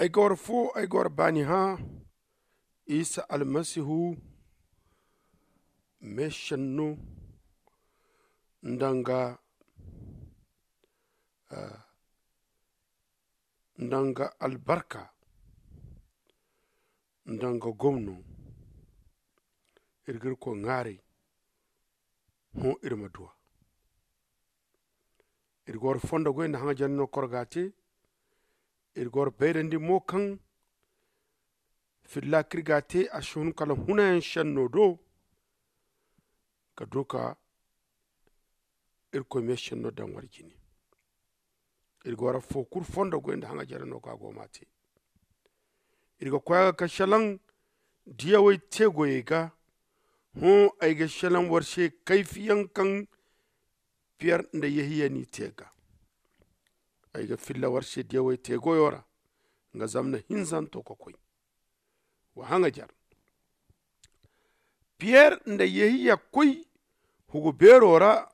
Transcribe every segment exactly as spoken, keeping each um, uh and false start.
Ay ga war fo, ay ga war baani hã isa almasihu meesenno nda nga nda nga albarka nda nga gomno. Iri ga irkoy ŋwaaray hõ iri ma duw'a. Iri ga war fondo goy nda haŋajar no kor ga a te. Iri ga war bayrandi mo kaŋ filla kaŋ iri ga a te a si hun kala hunayaŋ senno do ka du ka irkoy meesenno daŋ war jine. Iri ga war affo kulu fondo goy nda haŋajar no kaŋ a go ma a te. Iri ga koy a ga ka selaŋ diyawey te goyey ga. Hõ ay ga selaŋ war se kayfiyaŋ kaŋ piyer nda yehiya n'i te ga. Ay ga filla war se diyawey te goyo ra nga zamna hinzanto ka koy. Wa haŋajar piyer nda yehiya koy hugu beero ra.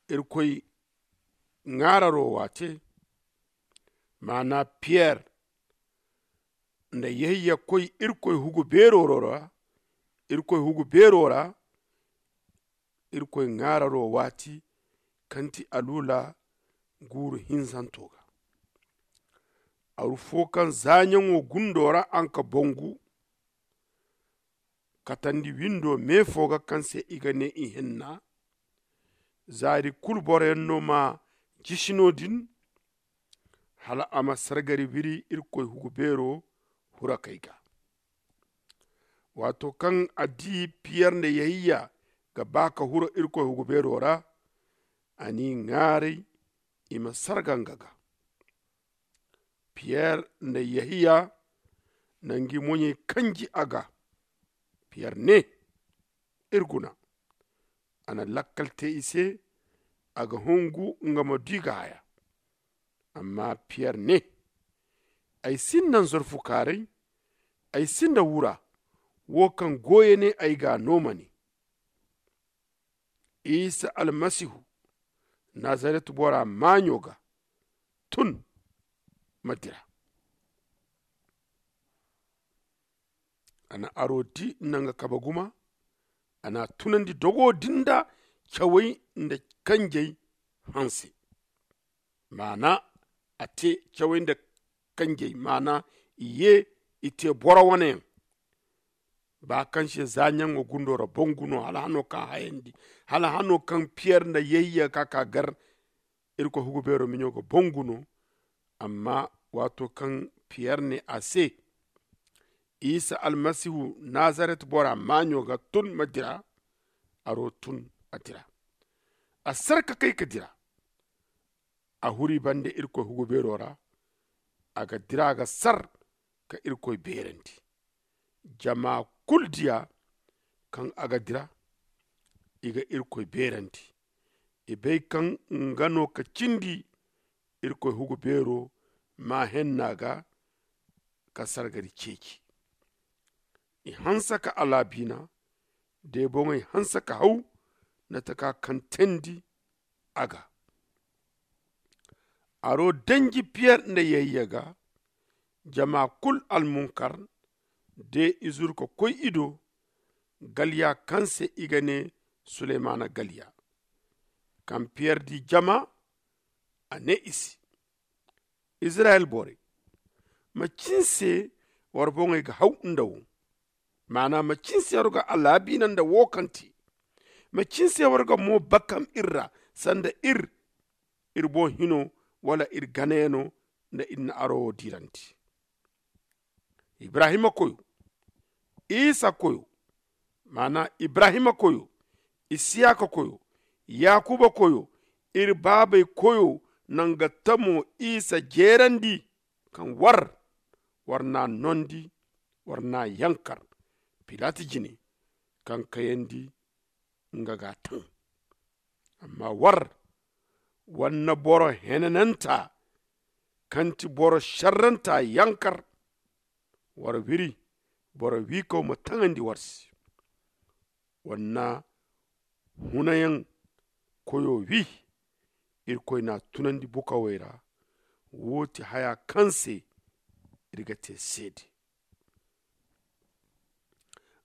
Irkoy ŋaararo waate maana piyer nda yehiya koy irkoy hugu beero ra. Irkoy hugu beero ra irkoy ŋaararo waati kaŋ ti aluula guuru hinzanto ga. Aru fo kaŋ zaaɲaŋo gundo ra a nga ka bangu katandi windo me fo ga kaŋ se i ga ne ihinna. Zaari kulu boroyaŋ no ma jisi no-din hala a ma sargari wiri irkoy hugu beero hurakey ga. Waato kaŋ a di piyer nda yehiya ga ba ka huro irkoy hugu beero ra, a n'i ŋwaaray i ma sarga nga ga. Piyer nda yehiya na ngi moɲey kanji a ga. Piyer ne, iri guna. A na lakkal te i se a ga hungu nga ma du i ga haya. Amma piyer ne, ay sinda nzorfukaaray, ay sinda wura wo kaŋ goyo ne ay ga a no ma ne, isa almasihu nazaret bora maaɲo ga, tun ma dira. A na aro di nda nga kabe guma. A na a tunandi dogo din da cawey nda kanjey hanse. Maana a te cawey nda kanjey maana i ye i te boro wane yaŋ. Ba kaŋ se za ɲaŋo gundo ra bangu no hala hano kaŋ a hayandi hala hano kaŋ piyer nda yehiya ka ka gar. Irkoy hugu beero miɲo ga bangu no. Amma waato kaŋ piyer ne a se, isa almasihu nazaret bora maaɲo ga tun ma dira. Aro tun a dira. A sar ka kay ka dira. A huri bande irkoy hugu beero ra. A ga dira ga sar ka irkoy beerandi. Jama kulu diya kaŋ a ga dira. I ga irkoy beerandi. I bay kaŋ nga no ka cindi irkoy hugu beero ma henna ga ka sargari ceeci. I hanse ka alaabiina day boŋey hanse ka haw na taka kaŋ teendi a ga. Aro danji piyer nda yayya ga. Jama kulu almunkar de i zuru ka koy i do. Galya kaŋ se i ga ne suleymaana galya. Kaŋ piyer di jama a ne i se, izirayel borey, macin se war boŋey ga haw nda wo? Maana macin se war ga alaabiina nda wo kaŋ te? Macin se war ga mo bakam iri ra sanda iri iri boŋ hino wala iri ganayano nda iri na aro wo diirandi? Ibrahima koyo, isa koyo, maana ibrahima koyo, isiyaka koyo, yakuba koyo, iri baabey koyo, na nga tamo isa jeerandi kaŋ war war n'a noondi, war n'a yankar pilat jine, kaŋ kayandi nga g'a taŋ. Amma war war na boro henananta kaŋ ti boro šerranta yankar. War wiri boro wiikaw ma taŋandi war se. War na hunayaŋ koyo wi. Irkoy n'a tunandi bukawey ra. Wo ti haya kaŋ se da ga te seede.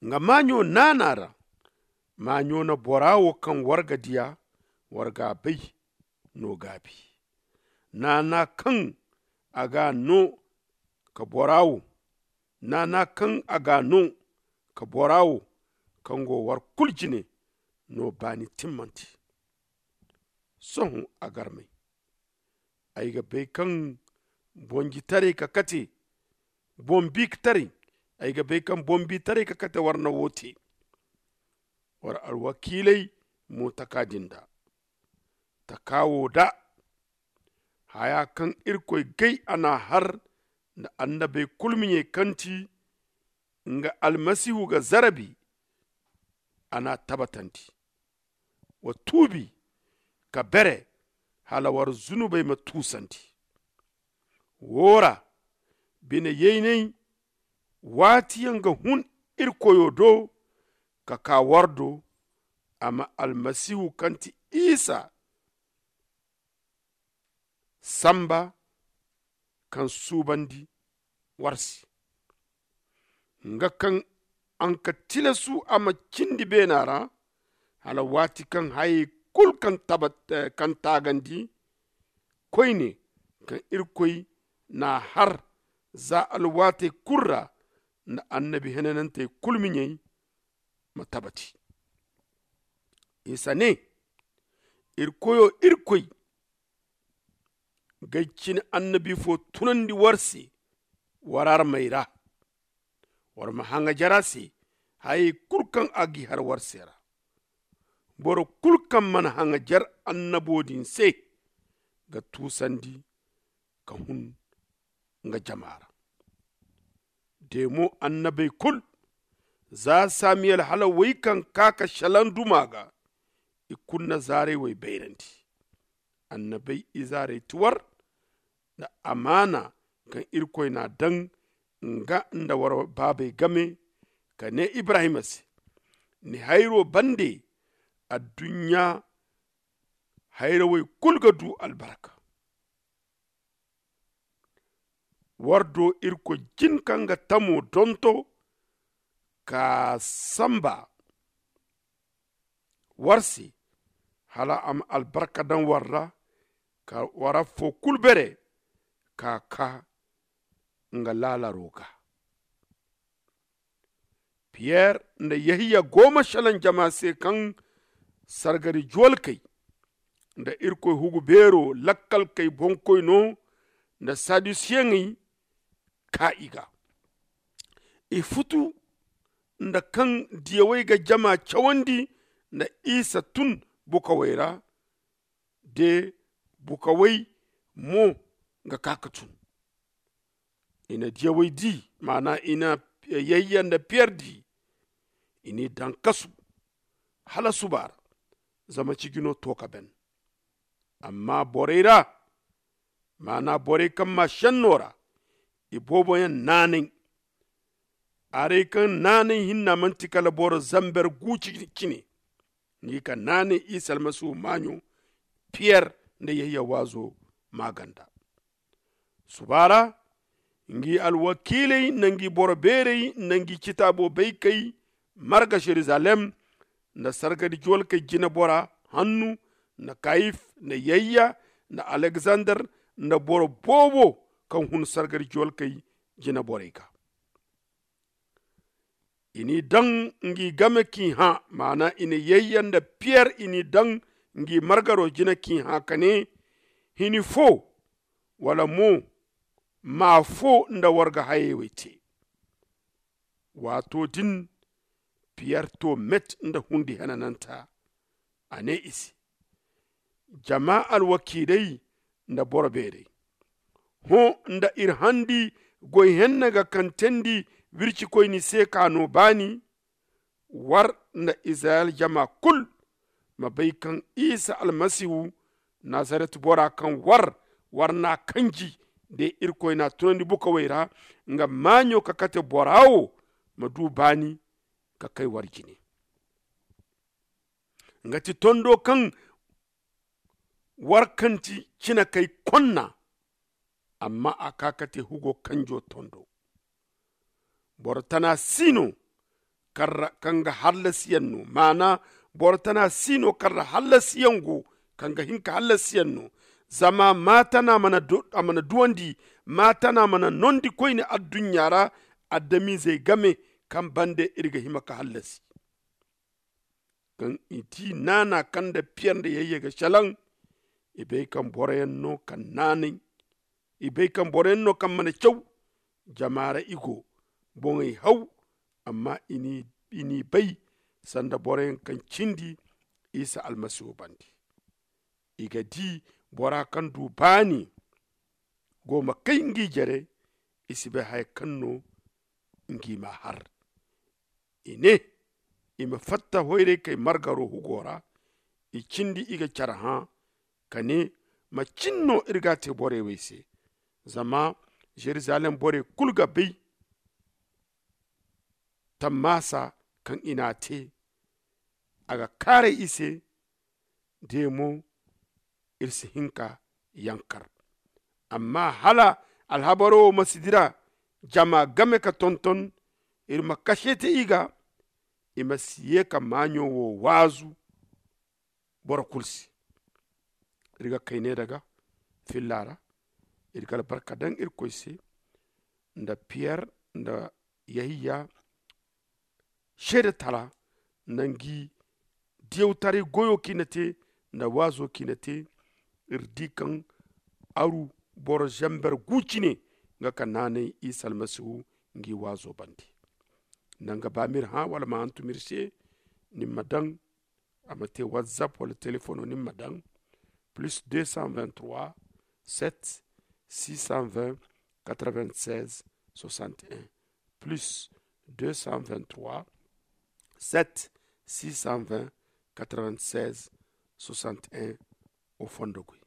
Nga maaɲo naana ra, maaɲo na bora wo kaŋ war ga diya, war ga a bay no gaabi. Naana kaŋ a ga no ka bora wo naana kaŋ a ga no ka bora wo kaŋ go war kulu jine no baani timmante. Sohõ a garmey, ay ga bay kaŋ bonjitaray ka kate bombi taray ay ga bay kaŋ bombi taray ka kate war na wo te. War alwakiilay mo taka din da taka wo da haya kaŋ irkoy gay a n'a har nda annabey kulu miɲey kaŋ ti nga almasihu ga zarabi. A n'a tabatandi wa tuubi ka bere hala war zunubey ma tuusandi. Wo ra bine yaynay waati yaŋ ga hun irkoyo do ka ka war do. A ma almasihu kaŋ ti isa samba kaŋ suubandi war se nga kaŋ a na ka tilasu a ma cindi beena ra hala waati kaŋ hayey kulu kaŋ taagandi koyne kaŋ irkoy n'a har za alwaatey kulu ra nda annabi henanantey kulu miɲey ma tabati. Isa ne, iri koyo irkoy g'ay cine annabi fo tunandi war se war armey ra. War ma haŋajer a se hayey kulu kaŋ a g'i har war se ra. Boro kulu kaŋ mana haŋajer annabo din se ga tuusandi ka hun nga jama ra. De mo annabey kulu za samiyel hala wey kaŋ ka ka shalaŋ duma ga i kulu na zaarey wey bayrandi. Annabey izaarey ti war nda amaana kaŋ irkoy n'a daŋ nga nda war baabey game ka ne ibrahima se, ni hayro bande adduɲɲa hayrawey kulu ga du albarka. War do irkoy jin kaŋ ga tamo donto ka samba war se hala a ma albarka daŋ war ra ka war affo kulu bere ka ka nga laalaro ga. Piyer nda yehiya go ma shalaŋ jama se kaŋ sargari juwalkey nda irkoy hugu beero lakkalkey boŋkoy no nda sadusiyeŋey ka i ga. I futu nda kaŋ diyawey ga jama cawandi nda isa tun bukawey ra de bukawey mo ga ka ka tun. I na diyawey di maana i na yayya nda piyer di. I n'i daŋ kasu hala suba ra zama ciji no to ka ben. Amma borey ra maana borey kaŋ ma shenno ra i booboyaŋ naanay. Arey kaŋ naanay hinna manti kala boro zamber gu cine ngi ka naanay isa almasihu maaɲo piyer nda yehiya waazo maaganda. Suba ra ngi alwakiiley nda ngi boro beerey nda ngi citaabo baykey marga yeruzalem nda sargari juwalkey jinebora hannu nda kayif nda yayya nda alekzandar nda boro boobo kaŋ hun sargari juwalkey jineborey ga. I n'i daŋ ngi game k'i hã maana i na yayya nda piyer i n'i daŋ ngi margaro jine k'i hã ka ne, hini fo wala mo maa fo nda war ga hayey wey te. Waato din piyer to met nda hundi henananta. A ne i se, jama alwakiiley nda boro beerey, hõ nda iri handi goy henne ga kaŋ teendi wircikoyni se ka no baani. War nda izirayel jama kulu ma bay kaŋ isa almasihu nazaret bora kaŋ war war n'a kanji de irkoy n'a tunandi bukawey ra nga maaɲo ka kate bora wo ma du baani ka kay war jine. Nga ti tondo kaŋ war kaŋ ti cine kay konna Amma a ka ka te hugo kanjo tondo. Boro tana si no kaŋ ga hallasiyaŋ no, maana boro tana si no kaŋ ra hallasiyaŋ go, kaŋ ga hin ka hallasiyaŋ no. Zama maatana mana duwandi, maatana mana nondi koyne adduɲɲa ra, adamizey game kaŋ bande iri ga hima ka hallasi. Kaŋ i ti naana kaŋ nda piyer nda yayye ga salaŋ, i bay kaŋ boroyaŋ no kaŋ naanay. I bay kaŋ boroyaŋ no kaŋ mana caw. Jama ra i go, boŋey haw. Amma i n'i bay sanda boroyaŋ kaŋ cindi isa almasihu bande. I ga di bora kaŋ du baani go ma kay ngi jere. I si bay haya kaŋ no ngi ma har. I ne i ma fatta hoyray kay margaro hugo ra. I cindi i ga care hã ka ne, macin no iri ga a te borey wey se? Zama jerusalem borey kulu ga bay tammaasa kaŋ i n'a te. A ga kaaray i se. De mo iri si hin ka yankar. Amma hala alhabaro wo ma si dira jama game ka tonton, iri ma kase te i ga. I ma si ye ka maaɲo wo waazu boro kulu se. Iri ga kay ne daga filla ra. Iri ga albarka daŋ irkoy se nda piyer nda yahiya seede tala nda ngi diyawtaray goyo kaŋ i na te nda waazo kaŋ i na te. Iri di kaŋ aru boro zamber gu cine nga ka naanay isa almasihu ngi waazo bande. Nda nga ba ma iri hã wala ma hantum iri se, ni ma daŋ a ma te whatsapp wala telefono ni ma daŋ plus deux cent vingt-trois sept six cent vingt quatre-vingt-seize soixante et un, plus deux cent vingt-trois sept six cent vingt quatre-vingt-seize soixante et un. Au fond de goy